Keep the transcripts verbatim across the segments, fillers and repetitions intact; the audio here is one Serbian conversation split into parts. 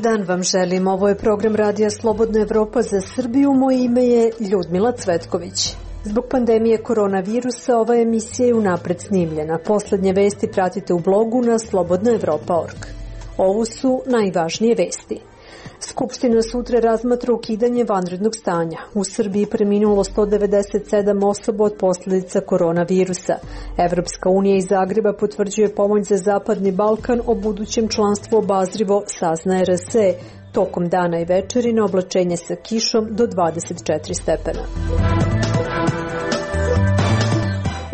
dan vam želim. Ovo je program Radija Slobodna Evropa za Srbiju. Moje ime je Ljudmila Cvetković. Zbog pandemije koronavirusa ova emisija je unapred snimljena. Poslednje vesti pratite u blogu na slobodna evropa tačka org. Ovo su najvažnije vesti. Skupština sutra razmatra ukidanje vanrednog stanja. U Srbiji preminulo sto devedeset sedam osoba od posljedica koronavirusa. Evropska unija iz Zagreba potvrđuje pomoć za Zapadni Balkan, o budućem članstvu obazrivo sazna er es e. Tokom dana i večeri na oblačenje sa kišom do dvadeset četiri stepena.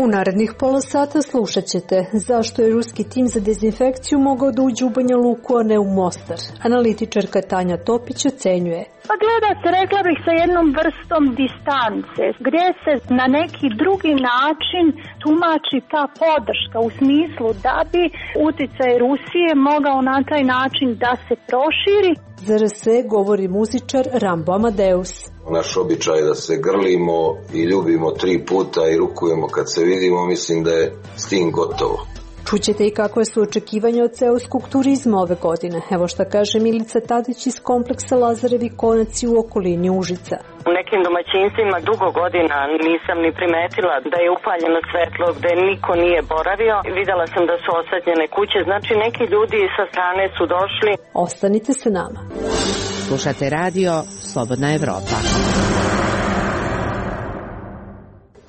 U narednih pola sata slušat ćete zašto je ruski tim za dezinfekciju mogao da uđe u Banja Luku, a ne u Mostar. Analitičarka Tanja Topić ocenjuje. Pa gleda se, rekla bih, sa jednom vrstom distance, gdje se na neki drugi način tumači ta podrška u smislu da bi uticaj Rusije mogao na taj način da se proširi. Za er es e govori muzičar Rambo Amadeus. Naš običaj da se grlimo i ljubimo tri puta i rukujemo kad se vidimo, mislim da je s tim gotovo. Čućete i kakve su očekivanja od seoskog turizma ove godine. Evo šta kaže Milica Tadić iz kompleksa Lazarevi konaci u okolini Užica. U nekim domaćinstvima dugo godina nisam ni primetila da je upaljeno svetlo, gde niko nije boravio. Videla sam da su osvetljene kuće, znači neki ljudi sa strane su došli. Ostanite sa nama. Slušate radio Slobodna Evropa.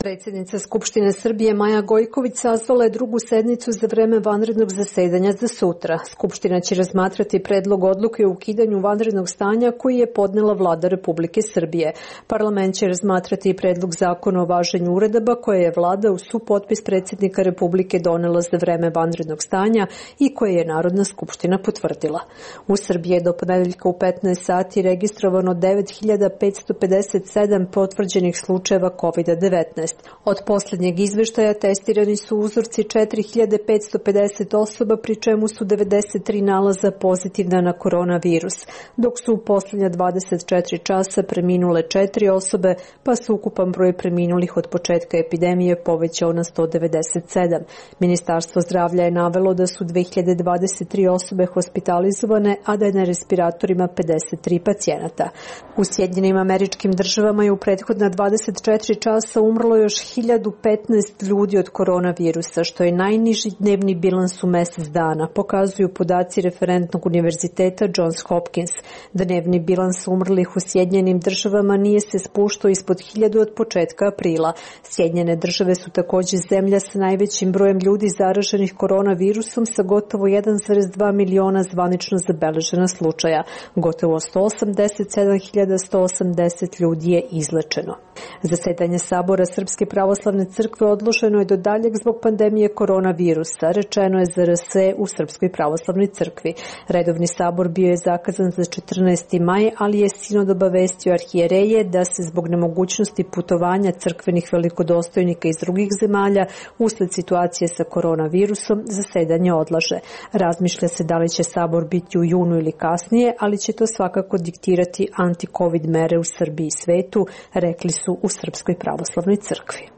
Predsjednica Skupštine Srbije Maja Gojković sazvala je drugu sednicu za vreme vanrednog zasedanja za sutra. Skupština će razmatrati predlog odluke o ukidanju vanrednog stanja koji je podnela Vlada Republike Srbije. Parlament će razmatrati i predlog zakona o važenju uredaba koje je Vlada uz supotpis predsjednika Republike donela za vreme vanrednog stanja i koje je Narodna skupština potvrdila. U Srbiji je do ponedeljka u petnaest sati registrovano devet hiljada petsto pedeset sedam potvrđenih slučajeva kovid devetnaest. Od posljednjeg izveštaja testirani su uzorci četiri hiljade petsto pedeset osoba, pri čemu su devedeset tri nalaza pozitivna na koronavirus, dok su u posljednja dvadeset četiri časa preminule četiri osobe, pa su ukupan broj preminulih od početka epidemije povećao na sto devedeset sedam. Ministarstvo zdravlja je navelo da su dve hiljade dvadeset tri osobe hospitalizovane, a da je na respiratorima pedeset tri pacijenata. U Sjedinjenim Američkim Državama je u prethodna dvadeset četiri časa umrlo još hiljadu petnaest ljudi od koronavirusa, što je najniži dnevni bilans u mesec dana, pokazuju podaci referentnog univerziteta Johns Hopkins. Dnevni bilans umrlih u Sjedinjenim Državama nije se spuštao ispod hiljadu od početka aprila. Sjedinjene Države su također zemlja sa najvećim brojem ljudi zaraženih koronavirusom sa gotovo jedan zarez dva miliona zvanično zabeležena slučaja. Gotovo sto osamdeset sedam hiljada sto osamdeset ljudi je izlečeno. Zasedanje Sabora Srpske pravoslavne crkve odloženo je do daljeg zbog pandemije koronavirusa, rečeno je za er es e u Srpskoj pravoslavnoj crkvi. Redovni sabor bio je zakazan za četrnaesti maj, ali je sinod obavestio arhijereje da se zbog nemogućnosti putovanja crkvenih velikodostojnika iz drugih zemalja usled situacije sa koronavirusom zasedanje odlaže. Razmišlja se da li će sabor biti u junu ili kasnije, ali će to svakako diktirati anti-covid mere u Srbiji i svetu, rekli su u Srpskoj pravoslavnoj crkvi.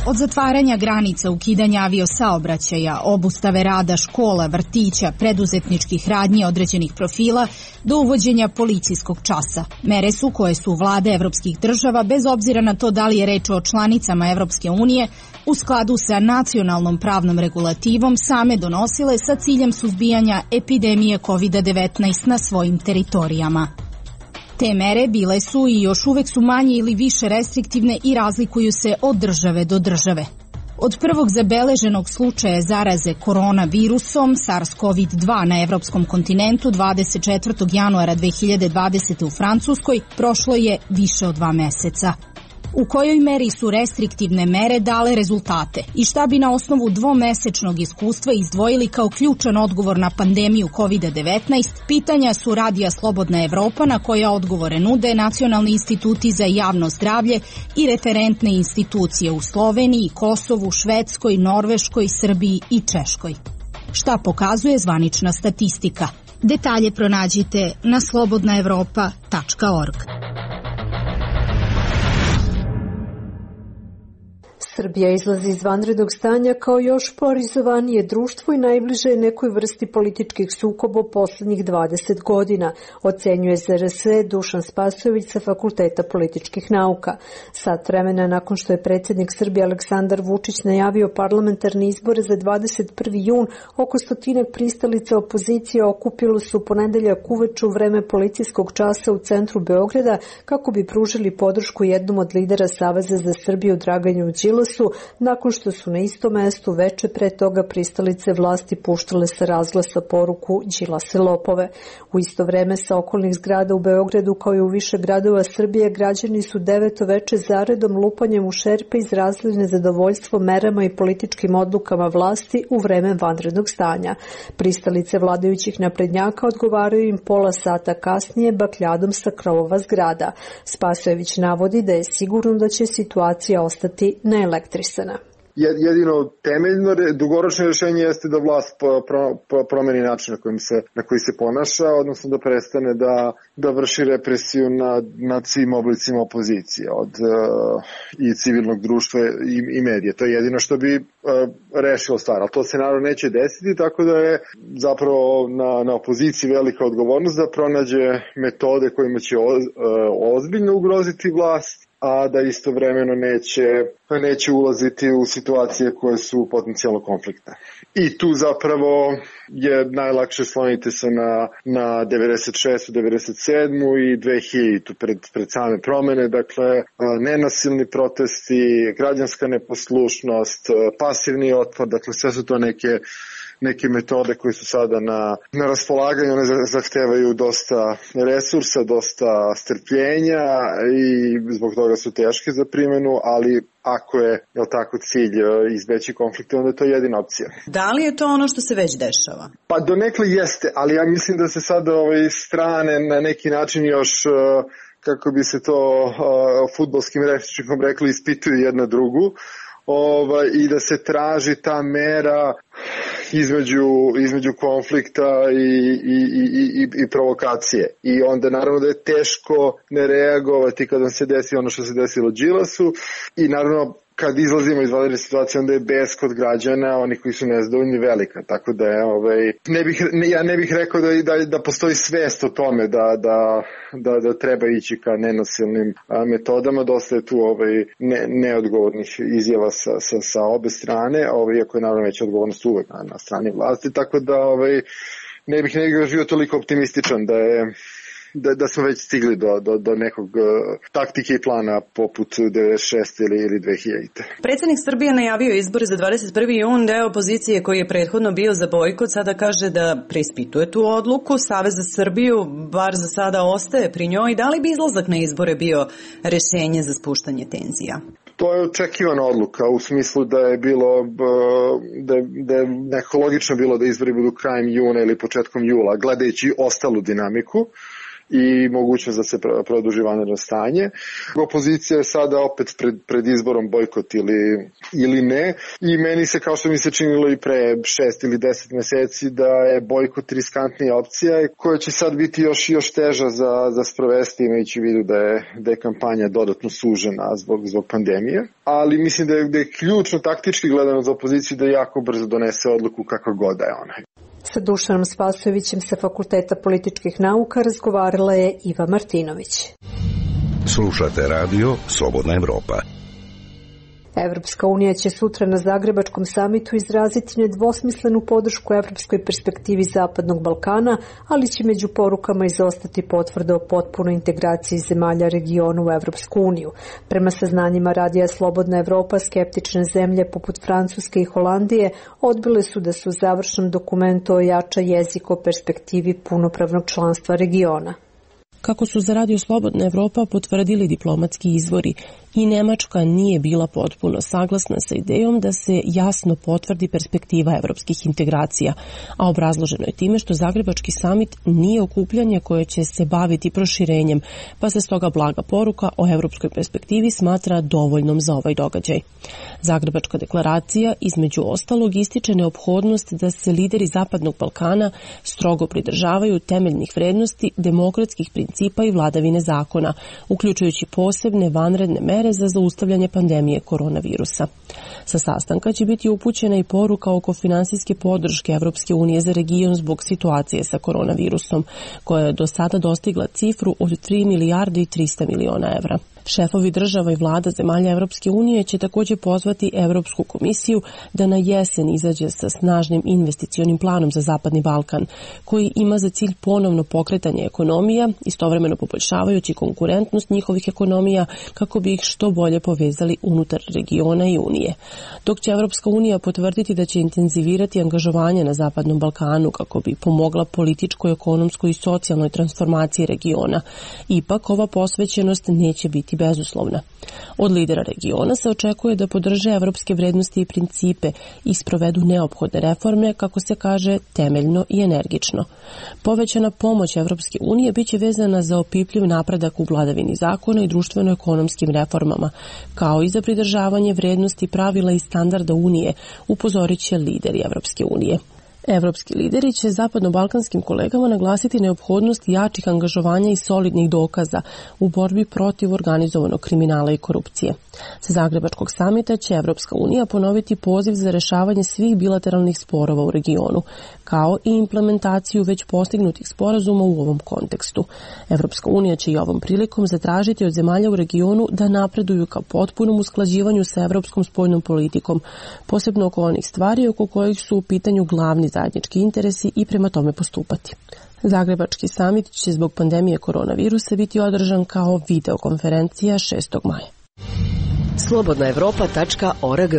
Od zatvaranja granica, ukidanja aviosaobraćaja, obustave rada škola, vrtića, preduzetničkih radnji određenih profila, do uvođenja policijskog časa. Mere su koje su vlade evropskih država, bez obzira na to da li je reč o članicama Evropske unije, u skladu sa nacionalnom pravnom regulativom same donosile sa ciljem suzbijanja epidemije kovid devetnaest na svojim teritorijama. Te mere bile su i još uvek su manje ili više restriktivne i razlikuju se od države do države. Od prvog zabeleženog slučaja zaraze koronavirusom SARS-CoV dva na evropskom kontinentu dvadeset četvrtog januara dve hiljade dvadesete u Francuskoj prošlo je više od dva meseca. U kojoj meri su restriktivne mere dale rezultate i šta bi na osnovu dvomesečnog iskustva izdvojili kao ključan odgovor na pandemiju kovid devetnaest, pitanja su Radija Slobodna Evropa na koja odgovore nude nacionalni instituti za javno zdravlje i referentne institucije u Sloveniji, Kosovu, Švedskoj, Norveškoj, Srbiji i Češkoj. Šta pokazuje zvanična statistika? Detalje pronađite na slobodna evropa tačka org. Srbija izlazi iz vanrednog stanja kao još polarizovanije društvo i najbliže je nekoj vrsti političkih sukoba u poslednjih dvadeset godina, ocenjuje Z R S Dušan Spasojević sa Fakulteta političkih nauka. Sat vremena nakon što je predsjednik Srbije Aleksandar Vučić najavio parlamentarne izbore za dvadeset prvi jun, oko stotinak pristalica opozicije okupilo su u ponedeljak uveče u vreme policijskog časa u centru Beograda kako bi pružili podršku jednom od lidera Saveza za Srbiju Draganu Đilasu, nakon što su na istom mestu veče pre toga pristalice vlasti puštale sa razglasa poruku Đilase lopove. U isto vreme sa okolnih zgrada u Beogradu kao i u više gradova Srbije građani su deveto veče zaredom lupanjem u šerpe izrazili nezadovoljstvo merama i političkim odlukama vlasti u vreme vanrednog stanja. Pristalice vladajućih naprednjaka odgovaraju im pola sata kasnije bakljadom sa krovova zgrada. Spasojević navodi da je sigurno da će situacija ostati neelektrisana. Jedino temeljno dugoročno rješenje jeste da vlast promeni način na, kojim se, na koji se ponaša, odnosno da prestane da, da vrši represiju nad, nad svim oblicima opozicije, od uh, i civilnog društva i, i medije. To je jedino što bi uh, rešilo stvar, ali to se naravno neće desiti, tako da je zapravo na, na opoziciji velika odgovornost da pronađe metode kojima će o, uh, ozbiljno ugroziti vlast, a da istovremeno neće, neće ulaziti u situacije koje su potencijalno konfliktne. I tu zapravo je najlakše sloniti se na, na devedeset šestu, devedeset sedmu i dve hiljadite pred, pred same promene, dakle nenasilni protesti, građanska neposlušnost, pasivni otpor, dakle sve su to neke neke metode koje su sada na, na raspolaganju, one zahtevaju dosta resursa, dosta strpljenja i zbog toga su teške za primjenu, ali ako je, je tako, cilj izbeći konflikte, onda je to jedina opcija. Da li je to ono što se već dešava? Pa donekle jeste, ali ja mislim da se sada ove strane na neki način još, kako bi se to uh, fudbalskim rečnikom rekli, ispituju jedna drugu. Ovaj, i da se traži ta mera između, između konflikta i, i, i, i, i provokacije. I onda naravno da je teško ne reagovati kada se desi ono što se desilo Đilasu i naravno kad izlazimo iz vanredne situacije, onda je bes kod građana, oni koji su nezadovoljni, velika. Tako da je, ovaj, ne bih, ne, ja ne bih rekao da, da, da postoji svest o tome da, da, da, da treba ići ka nenasilnim a, metodama. Dosta je tu ovaj, ne, neodgovornih izjava sa, sa, sa obe strane, ovaj, iako je naravno veća odgovornost uvek na, na strani vlasti. Tako da ovaj, ne bih nekako živio toliko optimističan da je Da, da smo već stigli do, do, do nekog uh, taktike i plana poput devedeset šeste ili, ili dve hiljadite. Predsjednik Srbije najavio izbore za dvadeset prvi jun, deo opozicije koji je prethodno bio za bojkot sada kaže da preispituje tu odluku. Savez za Srbiju bar za sada ostaje pri njoj. Da li bi izlazak na izbore bio rešenje za spuštanje tenzija? To je očekivana odluka u smislu da je bilo da je, da je nekako logično bilo da izbori budu krajem juna ili početkom jula, gledajući ostalu dinamiku i mogućnost da se produži vanredno stanje. Opozicija je sada opet pred, pred izborom bojkot ili, ili ne i meni se, kao što mi se činilo i pre šest ili deset meseci, da je bojkot riskantnija opcija koja će sad biti još, još teža za, za sprovesti, imajući u vidu da je, da je kampanja dodatno sužena zbog, zbog pandemije. Ali mislim da je, da je ključno taktički gledano za opoziciju da jako brzo donese odluku kakva god da je ona. Sa Dušanom Spasojevićem sa Fakulteta političkih nauka razgovarala je Iva Martinović. Slušate radio Slobodna Evropa. Evropska unija će sutra na Zagrebačkom samitu izraziti nedvosmislenu podršku evropskoj perspektivi Zapadnog Balkana, ali će među porukama izostati potvrda o potpunoj integraciji zemalja regiona u Evropsku uniju. Prema saznanjima radija Slobodna Evropa, skeptične zemlje poput Francuske i Holandije odbile su da se u završnom dokumentu ojača jezik o perspektivi punopravnog članstva regiona. Kako su za Radio Slobodna Evropa potvrdili diplomatski izvori, i Nemačka nije bila potpuno saglasna sa idejom da se jasno potvrdi perspektiva evropskih integracija, a obrazloženo je time što Zagrebački samit nije okupljanje koje će se baviti proširenjem, pa se stoga blaga poruka o evropskoj perspektivi smatra dovoljnom za ovaj događaj. Zagrebačka deklaracija između ostalog ističe neophodnost da se lideri Zapadnog Balkana strogo pridržavaju temeljnih vrednosti, demokratskih principa i vladavine zakona, uključujući posebne vanredne mere mere za zaustavljanje pandemije koronavirusa. Sa sastanka će biti upućena i poruka oko finansijske podrške Evropske unije za region zbog situacije sa koronavirusom, koja je do sada dostigla cifru od tri milijarde i trista miliona evra. Šefovi država i vlada zemalja Evropske unije će također pozvati Evropsku komisiju da na jesen izađe sa snažnim investicionim planom za Zapadni Balkan, koji ima za cilj ponovno pokretanje ekonomija, istovremeno poboljšavajući konkurentnost njihovih ekonomija kako bi ih što bolje povezali unutar regiona i unije. Dok će Evropska unija potvrditi da će intenzivirati angažovanje na Zapadnom Balkanu kako bi pomogla političkoj, ekonomskoj i socijalnoj transformaciji regiona, ipak ova posvećenost neće biti bezuslovna. Od lidera regiona se očekuje da podrže evropske vrednosti i principe i sprovedu neophodne reforme, kako se kaže, temeljno i energično. Povećana pomoć Evropske unije biće vezana za opipljiv napredak u vladavini zakona i društveno-ekonomskim reformama, kao i za pridržavanje vrednosti, pravila i standarda Unije, upozorit će lideri Evropske unije. Evropski lideri će zapadno-balkanskim kolegama naglasiti neophodnost jačih angažovanja i solidnih dokaza u borbi protiv organizovanog kriminala i korupcije. Sa Zagrebačkog samita će Evropska unija ponoviti poziv za rešavanje svih bilateralnih sporova u regionu, kao i implementaciju već postignutih sporazuma u ovom kontekstu. Evropska unija će i ovom prilikom zatražiti od zemalja u regionu da napreduju ka potpunom usklađivanju sa evropskom spoljnom politikom, posebno oko onih stvari oko kojih su u pitanju glavni zajednički interesi i prema tome postupati. Zagrebački samit će zbog pandemije koronavirusa biti održan kao videokonferencija šestog maja. slobodna evropa tačka org.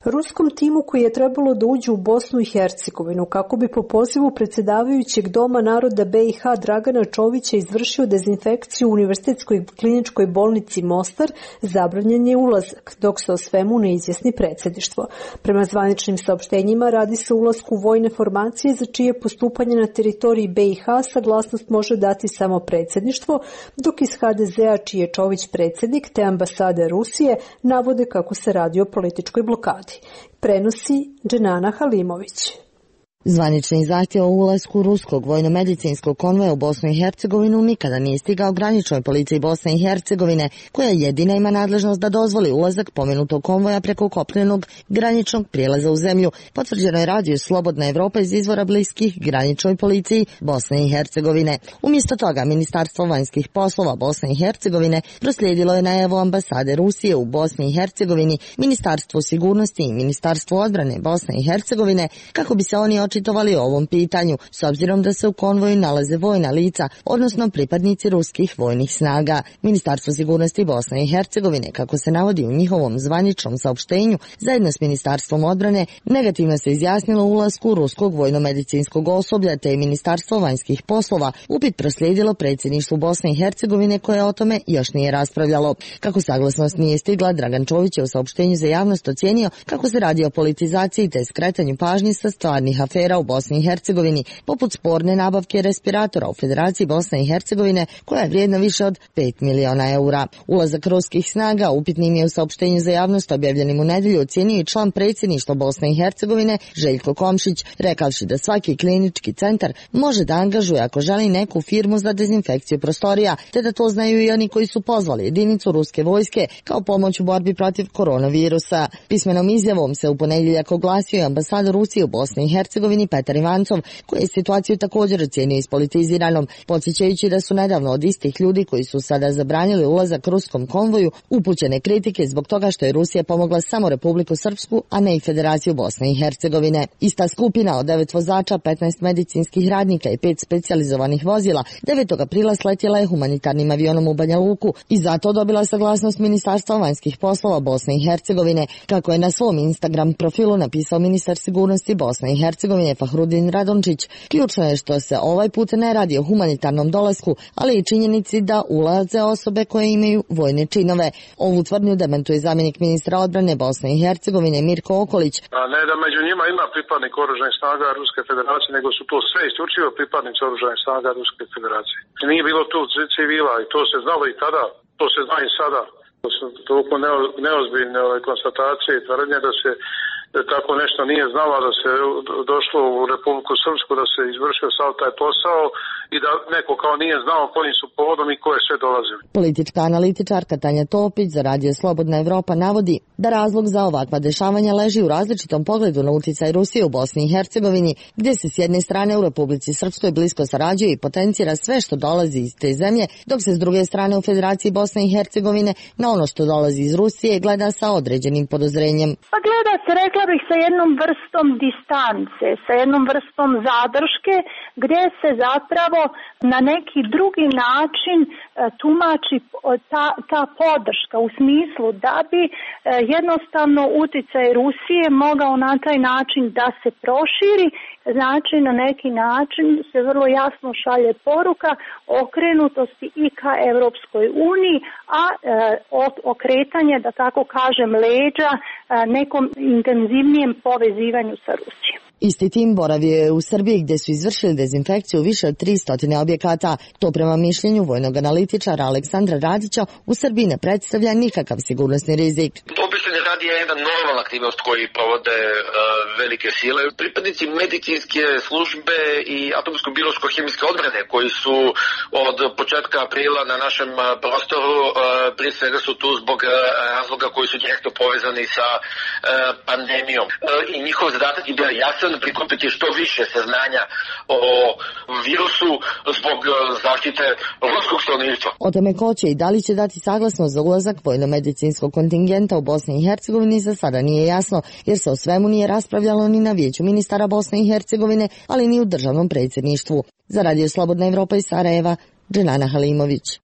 Ruskom timu koji je trebalo da uđe u Bosnu i Hercegovinu kako bi po pozivu predsjedavajućeg Doma naroda B i H Dragana Čovića izvršio dezinfekciju u Univerzitetskoj kliničkoj bolnici Mostar, zabranjen je ulazak, dok se o svemu ne izjasni predsjedništvo. Prema zvaničnim saopštenjima radi se o ulasku u vojne formacije za čije postupanje na teritoriji B i H saglasnost može dati samo predsjedništvo, dok iz H D Z-a čiji je Čović predsjednik te ambasade Rusije navode kako se radi o političkoj blokadi. Prenosi Dženana Halimović. Zvanični zahtjev o ulasku ruskog vojno-medicinskog konvoja u Bosnu i Hercegovinu nikada nije stigao graničnoj policiji Bosne i Hercegovine, koja jedina ima nadležnost da dozvoli ulazak pomenutog konvoja preko kopnenog graničnog prijelaza u zemlju, potvrđeno je radio Slobodna Evropa iz izvora bliskih graničnoj policiji Bosne i Hercegovine. Umjesto toga, Ministarstvo vanjskih poslova Bosne i Hercegovine proslijedilo je najavu ambasade Rusije u Bosni i Hercegovini, Ministarstvo sigurnosti i Ministarstvo odbrane Bosne i Hercegovine, kako bi se oni očitovali o ovom pitanju, s obzirom da se u konvoju nalaze vojna lica, odnosno pripadnici ruskih vojnih snaga. Ministarstvo sigurnosti Bosne i Hercegovine, kako se navodi u njihovom zvaničnom saopštenju, zajedno s Ministarstvom odbrane, negativno se izjasnilo ulasku ruskog vojno-medicinskog osoblja, te je Ministarstvo vanjskih poslova upit proslijedilo predsjedništvu Bosne i Hercegovine, koje o tome još nije raspravljalo. Kako saglasnost nije stigla, Dragan Čović je u saopštenju za javnost ocijenio kako se radi o politizaciji te skretanju pažnje sa stvarnih afera u Bosni i Hercegovini, poput sporne nabavke respiratora u Federaciji Bosne i Hercegovine, koja je vrijedna više od pet miliona eura. Ulazak ruskih snaga upitnim je u saopštenju za javnost objavljenim u nedjelju ocijenio i član predsjedništva Bosne i Hercegovine Željko Komšić, rekavši da svaki klinički centar može da angažuje ako želi neku firmu za dezinfekciju prostorija, te da to znaju i oni koji su pozvali jedinicu ruske vojske kao pomoć u borbi protiv koronavirusa. Pismenom izjavom se u ponedjeljak oglasio i ambasador Rusije u Bosni i Hercegovini Petar Ivancov, koji je situaciju također ocijenio ispolitiziranom, podsjećajući da su nedavno od istih ljudi koji su sada zabranili ulazak ruskom konvoju upućene kritike zbog toga što je Rusija pomogla samo Republiku Srpsku, a ne i Federaciju Bosne i Hercegovine. Ista skupina od devet vozača, petnaest medicinskih radnika i pet specijalizovanih vozila devetog aprila sletjela je humanitarnim avionom u Banja Luku i zato dobila saglasnost Ministarstva vanjskih poslova Bosne i Hercegovine, kako je na svom Instagram profilu napisao ministar sigurnosti Bosne i Hercegovine Fahrudin Radončić. Ključno je što se ovaj put ne radi o humanitarnom dolasku, ali i činjenici da ulaze osobe koje imaju vojne činove. Ovu tvrdnju dementuje zamjenik ministra odbrane Bosne i Hercegovine Mirko Okolić. A ne da među njima ima pripadnik oružanih snaga Ruske federacije, nego su to sve isključivo pripadnici oružanih snaga Ruske federacije. Nije bilo tu civila i to se znalo i tada, to se zna i sada. To su toliko neozbiljne ove konstatacije i tvrdnje da se tako nešto nije znala, da se došlo u Republiku Srpsku, da se izvršio sav taj posao i da neko kao nije znao kojim su povodom i ko je sve dolazili. Politička analitičarka Tanja Topić za Radio Slobodna Evropa navodi da razlog za ovakva dešavanja leži u različitom pogledu na uticaj Rusije u Bosni i Hercegovini, gdje se s jedne strane u Republici Srpskoj blisko sarađuje i potencira sve što dolazi iz te zemlje, dok se s druge strane u Federaciji Bosne i Hercegovine na ono što dolazi iz Rusije gleda sa određenim podozrenjem. Pa gleda se, rekla bih, sa jednom vrstom distance, sa jednom vrstom zadrške, gdje se zapravo na neki drugi način tumači ta, ta podrška u smislu da bi jednostavno uticaj Rusije mogao na taj način da se proširi, znači na neki način se vrlo jasno šalje poruka okrenutosti i ka Evropskoj uniji, a e, okretanje, da tako kažem, leđa e, nekom intenzivnijem povezivanju sa Rusijom. Isti tim boravio je u Srbiji gdje su izvršili dezinfekciju više od tristo objekata. To prema mišljenju vojnog analitičara Aleksandra Radića u Srbiji ne predstavlja nikakav sigurnosni rizik. Obično radi je jedna normalna aktivnost koju provode uh, velike sile. Pripadnici medicinske službe i atomsko-biološko-hemijske odbrane koji su od početka aprila na našem prostoru, uh, prije svega su tu zbog uh, razloga koji su direktno povezani sa uh, pandemijom. Uh, I njihov zadatak je bio jasan, prikupiti što više saznanja o virusu zbog zaštite ruskog stanovništva. O tome ko će i da li će dati saglasnost za ulazak vojno-medicinskog kontingenta u Bosni i Hercegovini za sada nije jasno, jer se o svemu nije raspravljalo ni na Vijeću ministara Bosne i Hercegovine, ali ni u državnom predsjedništvu. Za Radio Slobodna Evropa iz Sarajeva, Dženana Halimović.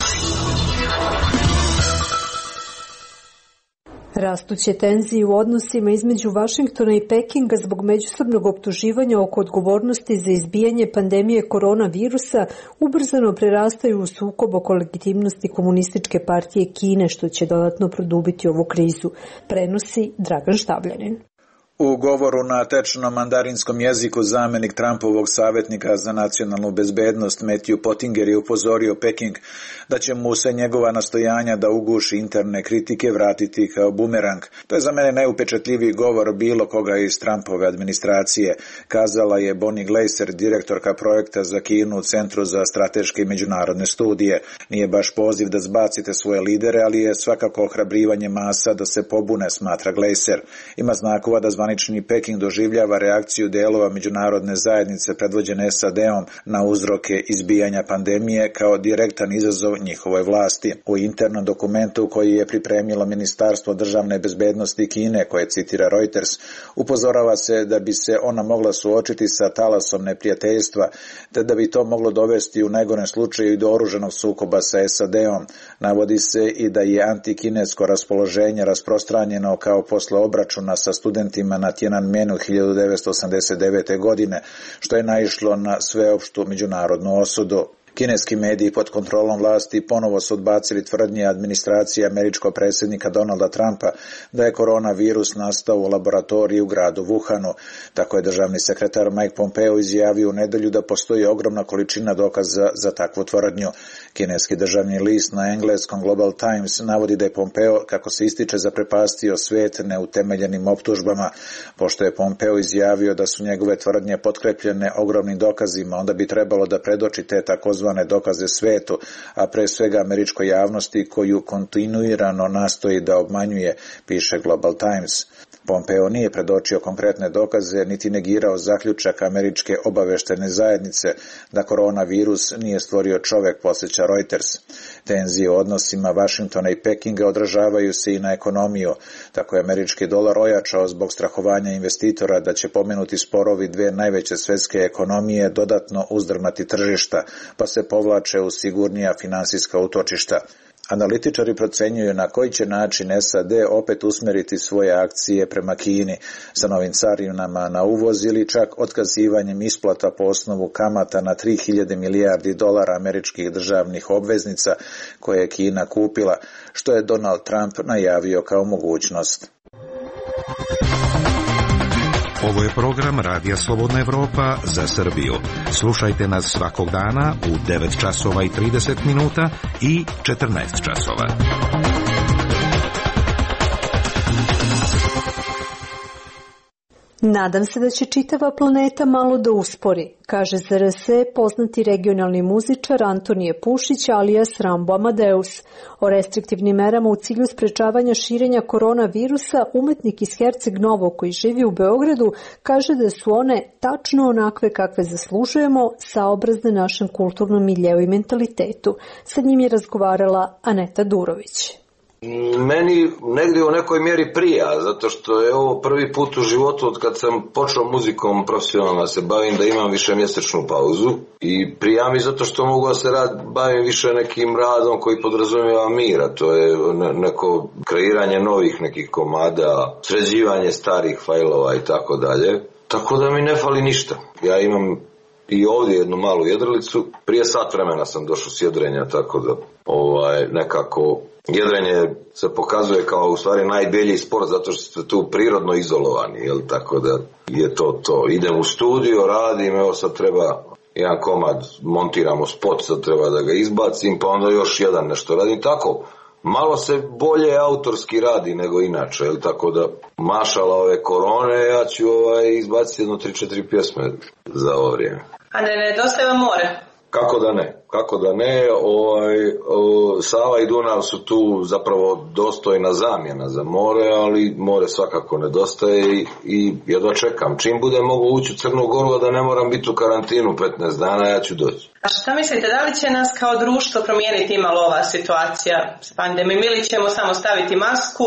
Rastuće tenzije u odnosima između Vašingtona i Pekinga zbog međusobnog optuživanja oko odgovornosti za izbijanje pandemije koronavirusa ubrzano prerastaju u sukob oko legitimnosti Komunističke partije Kine, što će dodatno produbiti ovu krizu, prenosi Dragan Štabljanin. U govoru na tečnom mandarinskom jeziku zamenik Trumpovog savjetnika za nacionalnu bezbednost Matthew Pottinger je upozorio Peking da će mu se njegova nastojanja da uguši interne kritike vratiti kao bumerang. To je za mene najupečatljiviji govor bilo koga iz Trumpove administracije, kazala je Bonnie Glaser, direktorka projekta za Kinu u Centru za strateške i međunarodne studije. Nije baš poziv da zbacite svoje lidere, ali je svakako ohrabrivanje masa da se pobune, smatra Glaser. Ima znakova da zvanični Peking doživljava reakciju delova međunarodne zajednice predvođene S A D-om na uzroke izbijanja pandemije kao direktan izazov njihovoj vlasti. U internom dokumentu koji je pripremilo Ministarstvo državne bezbednosti Kine, koje citira Reuters, upozorava se da bi se ona mogla suočiti sa talasom neprijateljstva, te da bi to moglo dovesti u najgorem slučaju i do oružanog sukoba sa S A D-om. Navodi se i da je antikinesko raspoloženje rasprostranjeno kao posle obračuna sa studentima na Tiananmenu hiljadu devetsto osamdeset devete. godine, što je naišlo na sveopštu međunarodnu osudu. Kineski mediji pod kontrolom vlasti ponovo su odbacili tvrdnje administracije američkog predsjednika Donalda Trumpa da je koronavirus nastao u laboratoriji u gradu Wuhanu. Tako je državni sekretar Mike Pompeo izjavio u nedelju da postoji ogromna količina dokaza za takvu tvrdnju. Kineski državni list na engleskom Global Times navodi da je Pompeo, kako se ističe, zaprepastio svijet neutemeljenim optužbama. Pošto je Pompeo izjavio da su njegove tvrdnje potkrepljene ogromnim dokazima, onda bi trebalo da predoči te takozvane dokaze svetu, a pre svega američkoj javnosti koju kontinuirano nastoji da obmanjuje, piše Global Times. Pompeo nije predočio konkretne dokaze niti negirao zaključak američke obaveštene zajednice da koronavirus nije stvorio čovek, podsjeća Reuters. Tenzije u odnosima Vašingtona i Pekinga odražavaju se i na ekonomiju. Tako je američki dolar ojačao zbog strahovanja investitora da će pomenuti sporovi dve najveće svetske ekonomije dodatno uzdrmati tržišta, pa se povlače u sigurnija finansijska utočišta. Analitičari procenjuju na koji će način S A D opet usmeriti svoje akcije prema Kini sa novim carinama na uvoz ili čak otkazivanjem isplata po osnovu kamata na tri hiljade milijardi dolara američkih državnih obveznica koje je Kina kupila, što je Donald Trump najavio kao mogućnost. Ovo je program Radija Slobodna Evropa za Srbiju. Slušajte nas svakog dana u devet časova i trideset minuta i četrnaest časova. Nadam se da će čitava planeta malo da uspori, kaže za R S poznati regionalni muzičar Antonije Pušić alias Rambo Amadeus. O restriktivnim merama u cilju sprečavanja širenja koronavirusa umetnik iz Herceg Novog koji živi u Beogradu kaže da su one tačno onakve kakve zaslužujemo, saobrazne našem kulturnom miljeu i mentalitetu. Sa njim je razgovarala Aneta Durović. Meni negdje u nekoj mjeri prija, zato što je ovo prvi put u životu od kad sam počeo muzikom profesionalno se bavim da imam više mjesečnu pauzu i prija mi zato što mogu da se rad, bavim više nekim radom koji podrazumijeva mira, to je neko kreiranje novih nekih komada, sređivanje starih fajlova i tako dalje, tako da mi ne fali ništa. Ja imam i ovdje jednu malu jedrilicu, prije sat vremena sam došao s jedrenja, tako da ovaj, nekako jedrenje se pokazuje kao u stvari najbolji sport zato što ste tu prirodno izolovani, jel? Tako da je to to. Idem u studio, radim, evo sad treba jedan komad, montiramo spot, sad treba da ga izbacim, pa onda još jedan nešto radim, tako. Malo se bolje autorski radi nego inače, jel? Tako da mašala ove korone, ja ću ovaj, izbaciti jedno tri četiri pjesme za ovo vrijeme. A ne nedostaje vam more? Kako da ne, kako da ne, ovaj, o, Sava i Dunav su tu zapravo dostojna zamjena za more, ali more svakako nedostaje i, i jedva čekam. Čim bude mogu ući u Crnu Goru, a da ne moram biti u karantinu petnaest dana, ja ću doći. A šta mislite, da li će nas kao društvo promijeniti imalo ova situacija s pandemijom ili ćemo samo staviti masku,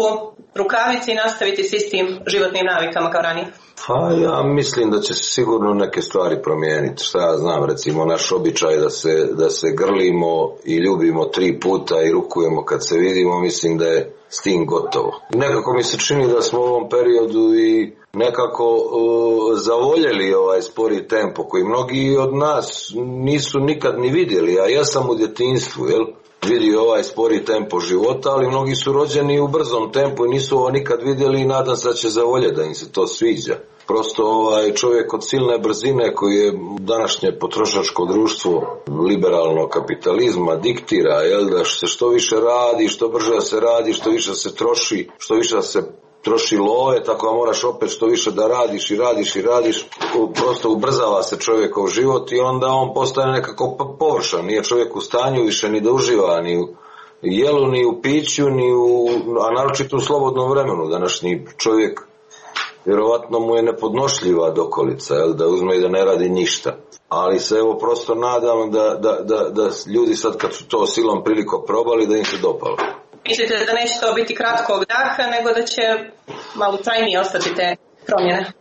rukavice i nastaviti s istim životnim navikama kao ranije? Pa ja mislim da će se sigurno neke stvari promijeniti. Šta ja znam, recimo naš običaj da se, da se grlimo i ljubimo tri puta i rukujemo kad se vidimo, mislim da je s tim gotovo. Nekako mi se čini da smo u ovom periodu i nekako uh, zavoljeli ovaj spori tempo koji mnogi od nas nisu nikad ni vidjeli, a ja sam u djetinjstvu, jel? Vidio ovaj spori tempo života, ali mnogi su rođeni u brzom tempu i nisu ovo nikad vidjeli i nadam se da će zavoljeti da im se to sviđa. Prosto ovaj čovjek od silne brzine koji je današnje potrošačko društvo liberalnog kapitalizma diktira, jel, da se što više radi, što brže se radi, što više se troši, što više se troši love, tako da moraš opet što više da radiš i radiš i radiš, prosto ubrzava se čovjekov život i onda on postane nekako površan, nije čovjek u stanju više ni da uživa, ni u jelu, ni u piću, ni u, a naročito u slobodnom vremenu. Današnji čovjek vjerovatno mu je nepodnošljiva dokolica, jel, da uzme i da ne radi ništa. Ali se evo prosto nadam da, da, da, da ljudi sad kad su to silom priliko probali da im se dopalo. Mislite da neće to biti kratkog daha, nego da će malo trajnije ostati te promjene?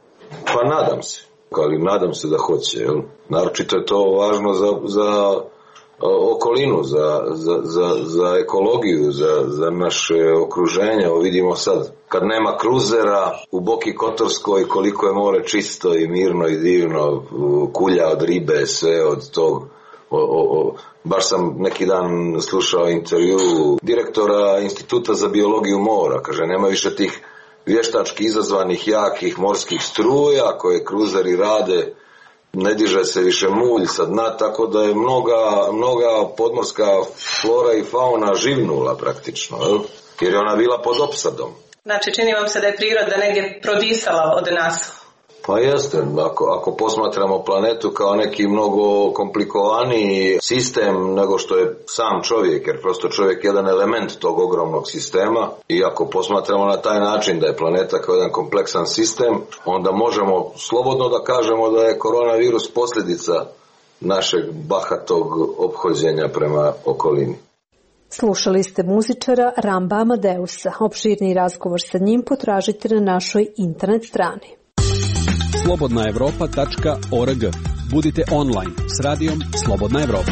Pa nadam se, ali nadam se da hoće. Jel? Naročito je to važno za, za okolinu, za, za, za, za ekologiju, za, za naše okruženje. O, vidimo sad, kad nema kruzera u Boki Kotorskoj, koliko je more čisto i mirno i divno, kulja od ribe, sve od tog. O, o, o, baš sam neki dan slušao intervju direktora Instituta za biologiju mora, kaže nema više tih vještački izazvanih jakih morskih struja koje kruzeri rade, ne diže se više mulj sa dna, tako da je mnoga, mnoga podmorska flora i fauna živnula praktično, jel? Jer je ona bila pod opsadom. Znači čini vam se da je priroda negdje prodisala od nas? Pa jeste, ako, ako posmatramo planetu kao neki mnogo komplikovaniji sistem nego što je sam čovjek, jer prosto čovjek je jedan element tog ogromnog sistema i ako posmatramo na taj način da je planeta kao jedan kompleksan sistem, onda možemo slobodno da kažemo da je koronavirus posljedica našeg bahatog ophođenja prema okolini. Slušali ste muzičara Ramba Amadeusa. Opširni razgovor sa njim potražite na našoj internet strani. slobodna evropa tačka org. Budite online s radijom Slobodna Evropa.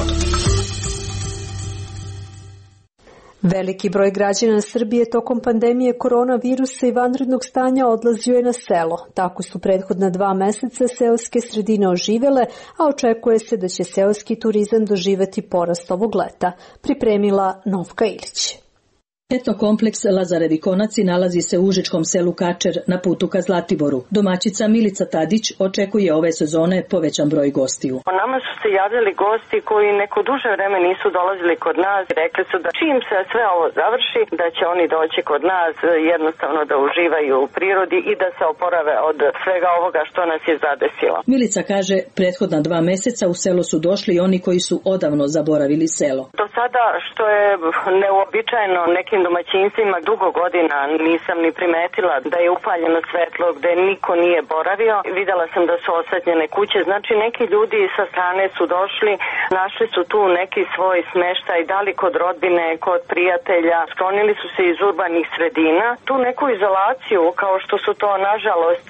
Veliki broj građana Srbije tokom pandemije koronavirusa i vanrednog stanja odlazio je na selo. Tako su prethodna dva meseca seoske sredine oživele, a očekuje se da će seoski turizam doživeti porast ovog leta, pripremila Novka Ilić. Etnokompleks Lazarevi konaci nalazi se u užičkom selu Kačer na putu ka Zlatiboru. Domaćica Milica Tadić očekuje ove sezone povećan broj gostiju. Nama su se javljali gosti koji neko duže vreme nisu dolazili kod nas. Rekli su da čim se sve ovo završi, da će oni doći kod nas jednostavno da uživaju u prirodi i da se oporave od svega ovoga što nas je zadesilo. Milica kaže, prethodna dva meseca u selo su došli i oni koji su odavno zaboravili selo. Do sada, što je neuobičajeno nekim domaćinstvima, dugo godina nisam ni primetila da je upaljeno svetlo gde niko nije boravio. Videla sam da su osvetljene kuće, znači neki ljudi sa strane su došli, našli su tu neki svoj smeštaj, da li kod rodbine, kod prijatelja, sklonili su se iz urbanih sredina. Tu neku izolaciju, kao što su to nažalost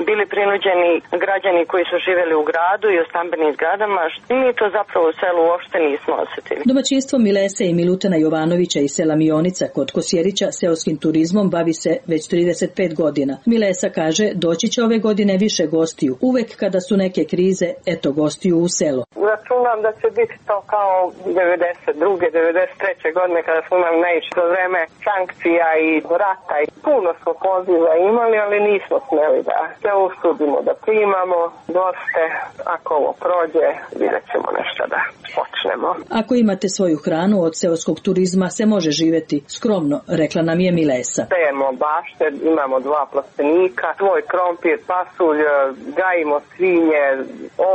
bili prinuđeni građani koji su živjeli u gradu i u stambenim zgradama, mi to zapravo u selu uopšte nismo osetili. Domaćinstvo Milese i Milutena Jovanovića iz sela Mionica kod Kosjerića seoskim turizmom bavi se već trideset pet godina. Milesa kaže, doći će ove godine više gostiju. Uvek kada su neke krize, eto gostiju u selo. Računam da će biti to kao devedeset druge, devedeset treće godine kada smo imali naišli za vreme sankcija i rata. I puno smo poziva imali, ali nismo smeli da se usudimo da primamo goste. Ako ovo prođe, vidjet ćemo nešto da počnemo. Ako imate svoju hranu, od seoskog turizma se može živjeti skromno, rekla nam je Milesa. Sejemo bašte, imamo dva plastenika, svoj krompir, pasulj, gajimo svinje,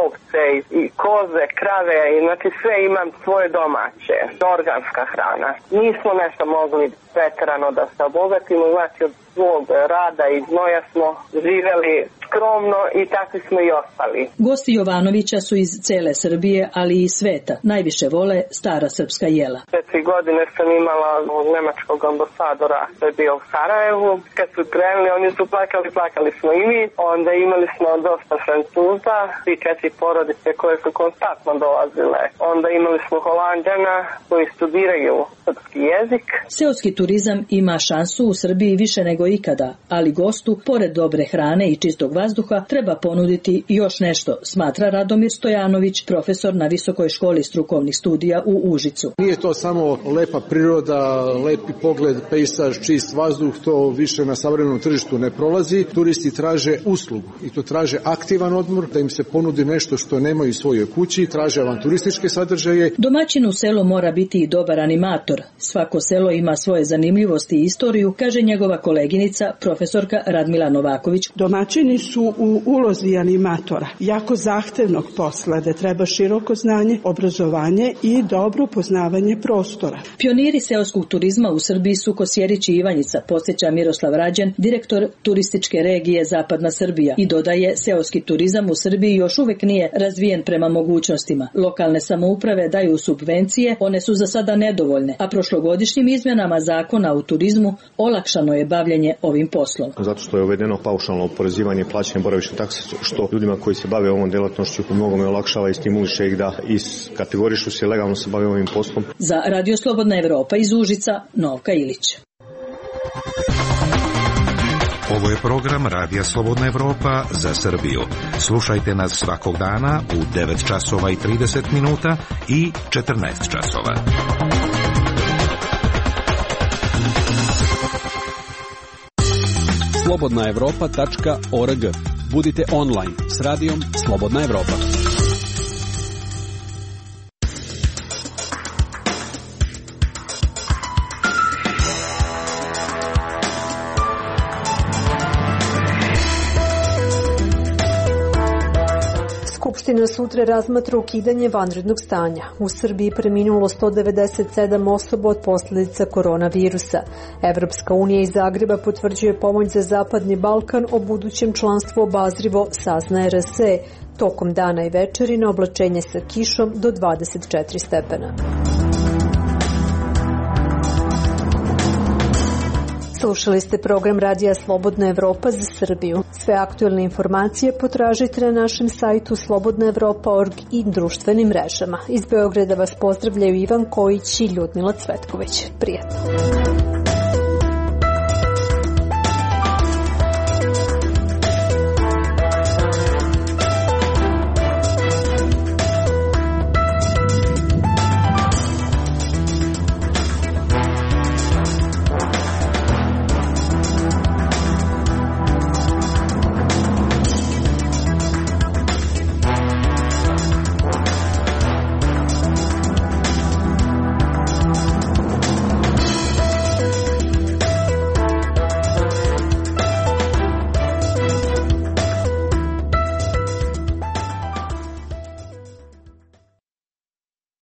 ovce i koze, krave, i znači sve imam svoje domaće, organska hrana. Nismo nešto mogli preterano da se obogatimo, znači od svog rada i znoja smo živjeli skromno i takvi smo i ostali. Gosti Jovanovića su iz cele Srbije, ali i sveta. Najviše vole stara srpska jela. Četiri godine sam imala nemačkog ambasadora koji je bio u Sarajevu. Kad su krenuli, oni su plakali, plakali smo i mi. Onda imali smo dosta Francuza i četiri porodice koje su konstantno dolazile. Onda imali smo Holanđana koji studiraju srpski jezik. Seoski turizam ima šansu u Srbiji više nego ikada, ali gostu, pored dobre hrane i čistog vazduha, treba ponuditi još nešto, smatra Radomir Stojanović, profesor na Visokoj školi strukovnih studija u Užicu. Nije to samo lepa priroda, lepi pogled, pejsaž, čist vazduh, to više na savremenom tržištu ne prolazi. Turisti traže uslugu i to traže aktivan odmor, da im se ponudi nešto što nemaju u svojoj kući, traže avanturističke sadržaje. Domaćin u selu mora biti i dobar animator. Svako selo ima svoje zanimljivosti i istoriju, kaže njegova koleginica, profesorka Radmila Novaković. Domaćini su u ulozi animatora, jako zahtevnog posla, da treba široko znanje, obrazovanje i dobro poznavanje prostora. Pioniri seoskog turizma u Srbiji su Kosjerić i Ivanjica, podsjeća Miroslav Rađen, direktor turističke regije Zapadna Srbija, i dodaje, seoski turizam u Srbiji još uvek nije razvijen prema mogućnostima. Lokalne samouprave daju subvencije, one su za sada nedovoljne, a prošlogodišnjim izmjenama zakona o turizmu olakšano je bavljenje ovim poslom. Zato što je uvedeno paušalno oporezivanje plaćanja boravišne takse, što ljudima koji se bave ovom delatnošću u mnogome olakšava i stimuliše ih da iskategorišu se legalno se bave ovim poslom. Za Radio Slobodna Evropa iz Užica, Novka Ilić. Ovo je program Radija Slobodna Evropa za Srbiju. Slušajte nas svakog dana u devet časova i trideset minuta i četrnaest časova. slobodna evropa tačka org. Budite online s radijom Slobodna Evropa. Skupština sutra razmatra ukidanje vanrednog stanja. U Srbiji preminulo sto devedeset sedam osoba od posljedica koronavirusa. Evropska unija iz Zagreba potvrđuje pomoć za Zapadni Balkan, o budućem članstvu obazrivo sazna er es e. Tokom dana i večeri na oblačenje sa kišom do dvadeset četiri stepena. Slušali ste program Radija Slobodna Evropa za Srbiju. Sve aktuelne informacije potražite na našem sajtu slobodna evropa tačka org i društvenim mrežama. Iz Beograda vas pozdravljaju Ivan Kojić i Ljudmila Cvetković. Prijatno.